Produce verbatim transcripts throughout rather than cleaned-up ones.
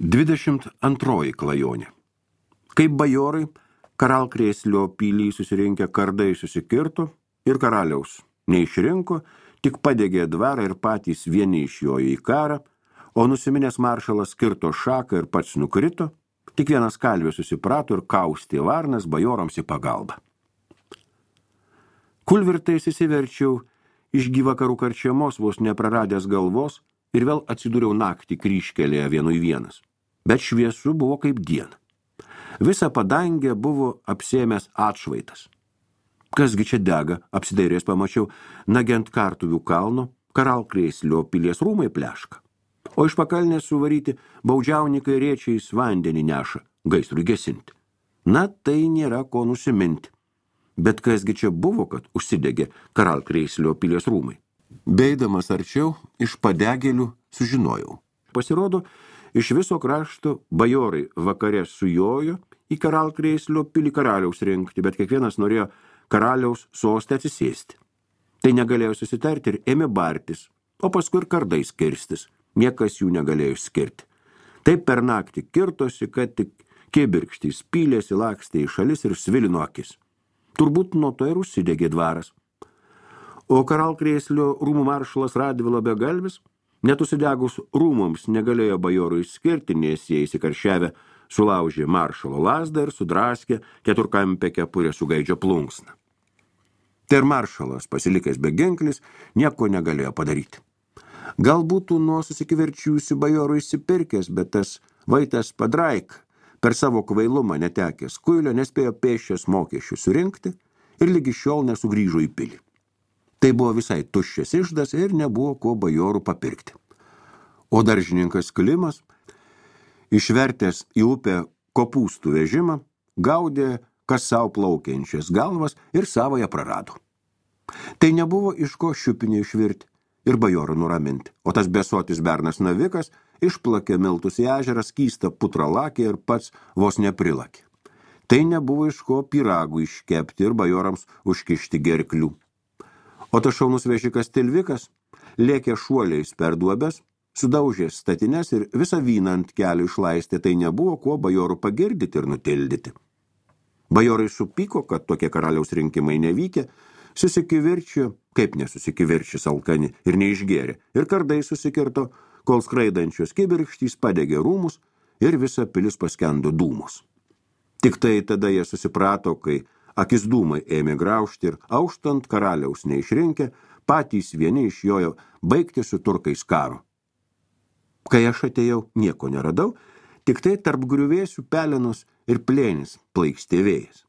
Dvidešimt antroji klajonė. Kaip bajorai, Karalkrėslio pily susirinkę kardai susikirto ir karaliaus neišrinko, tik padegė dvarą ir patys vieni išjojo į karą, o nusiminęs maršalas kirto šaką ir pats nukrito, tik vienas kalvis susiprato ir kaustė varnas bajorams į pagalbą. Kulvirtais įsiverčiau iš gyvakarų karčiamos vos nepraradęs galvos ir vėl atsidūriau naktį kryžkelėje vienui vienas. Bet šviesu buvo kaip diena. Visa padangė buvo apsėmęs atšvaitas. Kasgi čia dega, apsidairės pamačiau, nagiant Kartuvių kalno, Karalkrėslio pilies rūmai pleška. O iš pakalnės suvaryti baudžiaunikai rėčiais vandenį neša, gaisrui gesinti. Na, tai nėra ko nusiminti. Bet kasgi čia buvo, kad užsidegė Karalkrėslio pilies rūmai. Beidamas arčiau, iš padegėlių sužinojau. Pasirodo, iš viso krašto bajorai vakare sujojo į Karalkrėslio pilį karaliaus rinkti, bet kiekvienas norėjo karaliaus sostę atsisėsti. Tai negalėjo susitarti ir ėmė bartis, o paskui ir kardais kirstis. Niekas jų negalėjo skirti. Taip per naktį kirtosi, kad tik kibirkštys pylėsi, lakstė į šalis ir svilino akis. Turbūt nuo to ir užsidegė dvaras. O Karalkrėslio rūmų maršalas Radvilo begalvis, net užsidegus rūmams negalėjo bajorų išskirti, nes jie įsikaršiavę sulaužė maršalo lazdą ir sudraskė keturkampę kepurę su gaidžio plunksna. Tai ir maršalas, pasilikęs beginklis, nieko negalėjo padaryti. Gal būtų nuo susikiverčiusių bajorų išsipirkęs, bet tas vaitas Padraik per savo kvailumą netekęs kuilio nespėjo pėsčias mokesčių surinkti ir lygi šiol nesugrįžo į pilį. Tai buvo visai tuščias išdas ir nebuvo ko bajorų papirkti. O daržininkas Klimas, išvertęs į upę kopūstų vežimą, gaudė kas sau plaukiančias galvas ir savoje prarado. Tai nebuvo iš ko šiupinį išvirti ir bajorų nuraminti, o tas besotis bernas navikas išplakė miltus į ežerą, skystą putralakį ir pats vos neprilakė. Tai nebuvo iš ko pyragų iškepti ir bajorams užkišti gerklių. O tas šaunus vežikas Tilvikas lėkė šuoliais per duobes, sudaužė statines ir visą vyną ant kelių išlaistė, tai nebuvo kuo bajorų pagirdyti ir nutildyti. Bajorai supyko, kad tokie karaliaus rinkimai nevykę, susikivirčio, kaip nesusikivirčis alkani ir neišgėrė, ir kardai susikirto, kol skraidančios kibirkštys padegė rūmus ir visa pilis paskendo dūmus. Tik tai tada jie susiprato, kai akis dūmai ėmė graužti ir auštant karaliaus neišrinkę, patys vieni išjojo baigti su turkais karo. Kai aš atėjau, nieko neradau, tik tai tarp griuvėsių pelenos ir plėnis plaikstė vėjas.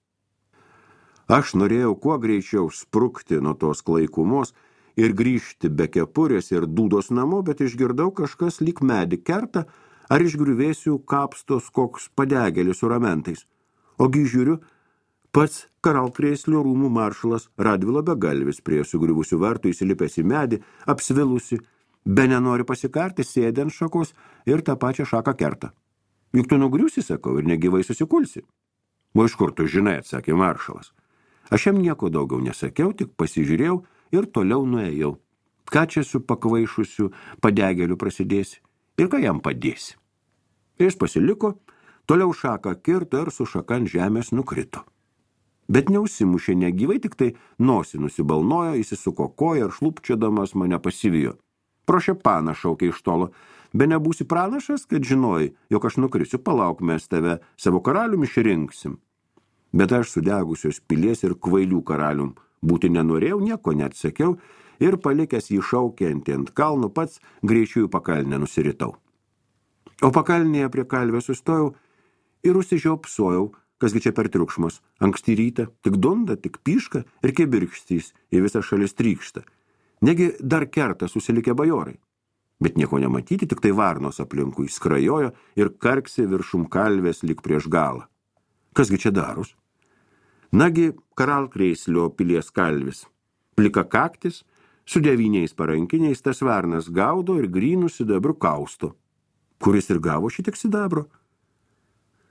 Aš norėjau kuo greičiau sprukti nuo tos klaikumos ir grįžti be kepurės ir dūdos namo, bet išgirdau kažkas lyg medį kerta, ar iš griuvėsių kapstos koks padegėlis su ramentais. Ogi žiūriu, pats Karalkrėslio rūmų maršalas Radvilo begalvis prie sugriuvusių vartų įsilipęs į medį, apsvilusi, be nenori pasikarti, sėdė ant šakos ir tą pačią šaką kerta. Juk tu nugriusi, sakau, ir negyvai susikulsi. O iš kur tu žinai, atsakė maršalas. Aš jam nieko daugiau nesakiau, tik pasižiūrėjau ir toliau nuėjau. Ką čia su pakvaišusiu padegėliu prasidėsi ir ką jam padėsi? Jis pasiliko, toliau šaką kirto ir su šaka ant žemės nukrito. Bet neužsimušė negyvai, tik tai nosį nusibalnojo, įsisuko koją ir šlupčiodamas mane pasivijo. Pro šepaną šaukė iš tolo, be nebūsi pranašas, kad žinojai, jog aš nukrisiu, palauk, mes tave savo karalium išrinksim. Bet aš sudegusios pilies ir kvailių karalium būti nenorėjau, nieko neatsakiau ir palikęs jį šaukiantį ant kalno pats greičiau į pakalnę nusiritau. O pakalnėje prie kalvės sustojau ir užsižiopsojau, kasgi čia per triukšmas. Anksti rytą, tik dunda, tik pyška ir kibirkštys į visą šalis trykšta. Negi dar kerta susilikę bajorai. Bet nieko nematyti, tik tai varnos aplinkui skrajojo ir karksi viršum kalvės lyg prieš galą. Kasgi čia darus? Nagi Karalkrėslio pilies kalvis. Plika kaktis, su devyniais parankiniais tas varnas gaudo ir grynų sidabru kausto. Kuris ir gavo šitiek sidabro?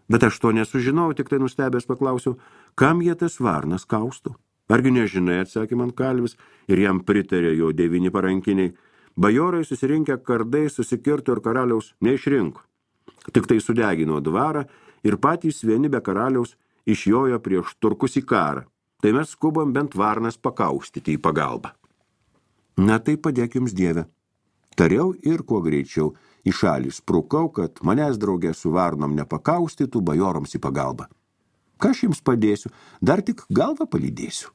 Bet aš to nesužinau, tik tai nustebęs paklausiau, kam jie tas varnas kausto? Argi nežinai, atsakė man kalvis, ir jam pritarė jo devyni parankiniai. Bajorai susirinkę kardai susikirto ir karaliaus neišrinko. Tik tai sudegino dvarą ir patys vieni be karaliaus išjojo prieš turkus į karą. Tai mes skubam bent varnas pakaustyti į pagalbą. Na tai padėk jums Dieve. Tariau ir kuo greičiau į šalį sprukau, kad manęs draugė su varnom nepakaustytų bajoroms į pagalbą. Ką aš jums padėsiu, dar tik galvą palydėsiu.